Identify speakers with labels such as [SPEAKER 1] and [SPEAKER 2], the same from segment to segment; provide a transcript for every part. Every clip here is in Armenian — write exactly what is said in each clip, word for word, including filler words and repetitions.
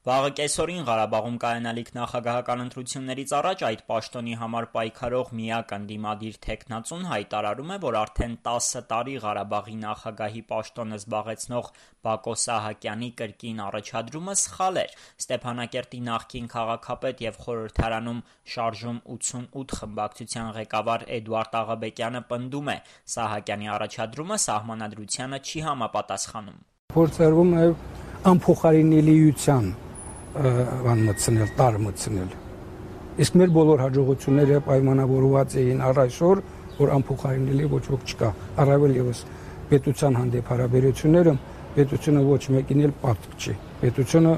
[SPEAKER 1] Վաղը կեսօրին Ղարաբաղում կայանալիք նախագահական ընտրություններից առաջ այդ պաշտոնի համար պայքարող միակ ընդդիմադիր թեկնածուն հայտարարում է, որ արդեն տասը տարի Ղարաբաղի նախագահի պաշտոնը զբաղեցնող Բակո Սահակյանի կրկին առաջադրումը սխալ էր։ Ստեփանակերտի նախկին քաղաքապետ եւ խորհրդարանում շարժում ութսունութ խմբակցության ղեկավար Էդուարդ Աղաբեկյանը պնդում է՝ Սահակյանի առաջադրումը սահմանադրությանը չի համապատասխանում։
[SPEAKER 2] Փորձարկվում է անփոխարինելիության վան մտցնել, տար մտցնել։ Իսկ մեր բոլոր հաջողությունները պայմանավորված էին առ այսօր, որ անփոխարինելի ոչ ոք չկա։ Առավել ևս պետության հանդեպ հարաբերությունները, պետությունը ոչ մեկին էլ պարտք չի։ Պետությունը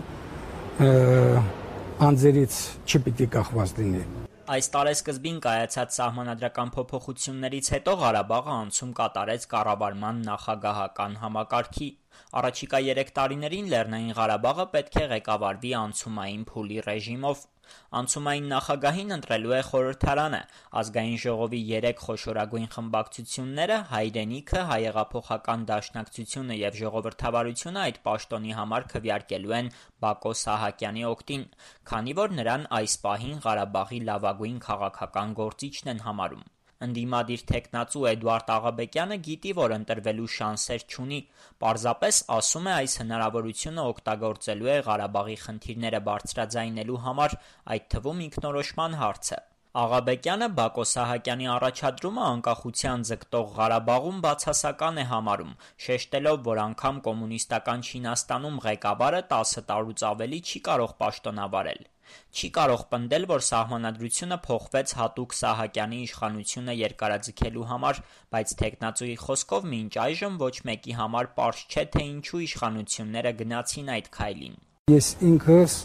[SPEAKER 2] անձերից չպիտի կախված լինի։
[SPEAKER 1] Այս տարեսկզբին կայացած սահմանադրական փոփոխություններից հետո Ղարաբաղը անցում կատարեց կառավարման նախագահական համակարգի։ Առաջիկա երեք տարիներին Լեռնային Ղարաբաղը պետք է ղեկավարվի անցումային փուլի ռեժիմով։ Անցումային նախագահին ընտրելու է խորհրդարանը։ Ազգային ժողովի երեք խոշորագույն խմբակցությունները՝ Հայրենիքը, Հայեղափոխական դաշնակցությունը եւ Ժողովրդավարությունը այդ պաշտոնի համար քվեարկելու են Բակո Սահակյանի օգտին, քանի որ նրան այս պահին Ղարաբաղի լավագույն քաղաքական գործիչն են համարում։ Ընդդիմադիր թեկնածու Էդուարդ Աղաբեկյանը գիտի, որ ընտրվելու շանսեր չունի, պարզապես ասում է, այս հնարավորությունը օգտագործելու է Ղարաբաղի խնդիրները բարձրաձայնելու համար, այդ թվում ինքնորոշման հարցը։ Աղաբեկյանը Բակո Սահակյանի առաջադրումը անկախության ձգտող Ղարաբաղում բացասական է համարում, շեշտելով, որ անգամ կոմունիստական Չինաստանում ղեկավարը տասը տարուց ավելի չի կարող պաշտոնավարել։ Չի կարող պնդել, որ սահմանադրությունը փոխվեց հատուկ Սահակյանի իշխանությունը երկարաձգելու համար, բայց թեկնածուի խոսքով մինչ այժմ ոչ մեկի համար պարզ չէ, թե ինչու իշխանությունները գնացին այդ քայլին։
[SPEAKER 2] Ես ինքս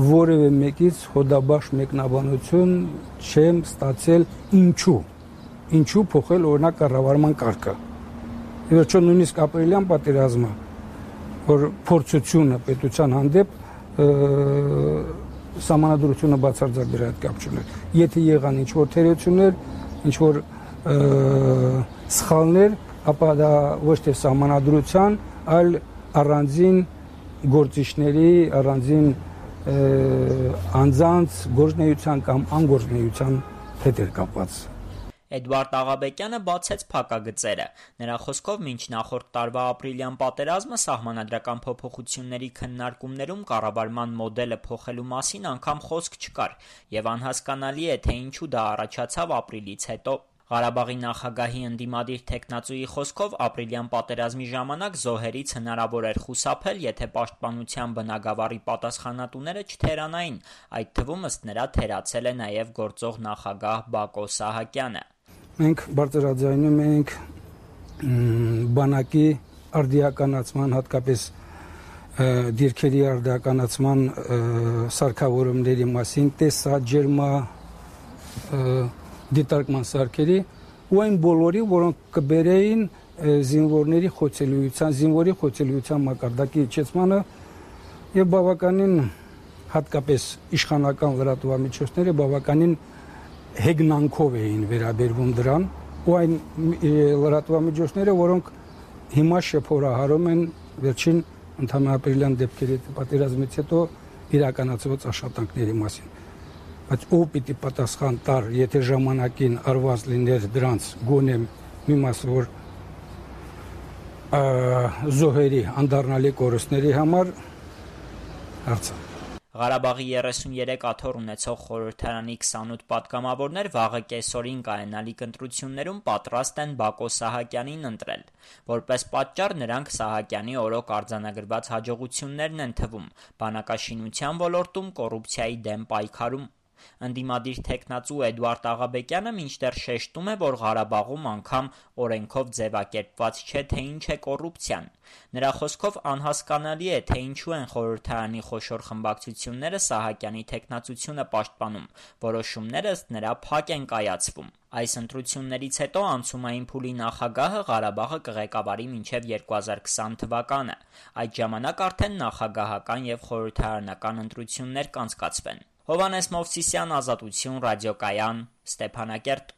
[SPEAKER 2] որևէ մեկից հոդաբաշխ մեկնաբանություն չեմ ստացել ինչու։ Ինչու փոխել օրինակ կառավարման կարգը։ Ի վերջո նույնիսկ ապրիլյան պատերազմը, որ փորձությունը պետության հանդեպ սահմանադրությունը բացարձակ դրա հետ կապ չուներ։ Եթե եղան ինչ-որ թերություններ, ինչ-որ սխալներ, ապա դա ոչ թե սահմանադրության, այլ առանձին գործիչների, առանձին անձանց գործնեության կամ անգործնեության հետ էր կապված։
[SPEAKER 1] Էդուարդ Աղաբեկյանը բացեց փակագծերը։ Նրա խոսքով մինչ նախորդ տարվա ապրիլյան պատերազմը սահմանադրական փոփոխությունների քննարկումներում կառավարման մոդելը փոխելու մասին անգամ խոսք չկար, եւ անհասկանալի է, թե ինչու դա առաջացավ ապրիլից հետո։ Ղարաբաղի նախագահի ընդդիմադիր թեկնածուի խոսքով ապրիլյան պատերազմի ժամանակ զոհերից հնարավոր էր խուսափել, եթե պաշտպանության բնագավառի պատասխանատուները չթերանային, այդ թվում ըստ նրա թերացել է նաև գործող նախագահ Բակո Սահակյանը։
[SPEAKER 2] Մենք բարձրաձայնում ենք բանակի արդիականացման, հատկապես դիրքերի արդիականացման սարքավորումների մասին, տեսա ջերմա դիտարկման սարքերի ու այն բոլորի, որոնք կբերեին զինվորների խոցելիության, զինվորի խոցելիության մակարդակի իջեցմանը եւ բավականին հատկապես իշխանական լրատվամիջոցները բավականին հեգնանքով էին վերաբերվում դրան ու այն լրատվամիջոցները, որոնք հիմա շփորահարում են վերջին ընդհանուր ապրիլյան դեպքերի պատերազմից հետո իրականացված աշխատանքների մասին։ Բայց ով պիտի պատասխան տար, եթե ժամանակին արված լիներ դրանց գոնե մի մասը, որ զոհերի անդառնալի կորուստների համար հարցը։
[SPEAKER 1] Ղարաբաղի երեսուներեք աթոռ ունեցող խորհրդարանի քսանութ պատգամավորներ վաղը կեսօրին կայանալիք ընտրություններում պատրաստ են Բակո Սահակյանին ընտրել։ Որպես պատճառ նրանք Սահակյանի օրոք արձանագրված հաջողություններն են թվում՝ բանակաշինության ոլորտում, կոռուպցիայի դեմ պայքարում։ Ընդդիմադիր թեկնածու Էդուարդ Աղաբեկյանը մինչդեռ շեշտում է, որ Ղարաբաղում անգամ օրենքով ձևակերպված չէ, թե ինչ է կոռուպցիան։ Նրա խոսքով անհասկանալի է, թե ինչու են խորհրդարանի խոշոր խմբակցությունները Սահակյանի թեկնածությունը պաշտպանում, որոշումները ըստ նրա փակ են կայացվում։ Այս ընտրություններից հետո անցումային փուլի նախագահը Ղարաբաղը կղեկավարի մինչև երկու հազար քսան թվականը։ Այդ ժամանակ արդեն նախագահական եւ խորհրդարանական ընտրություններ կանցկացվեն։ Հովհաննես Մովսիսյան, Ազատություն, ռադիոկայան, Ստեփանակերտ։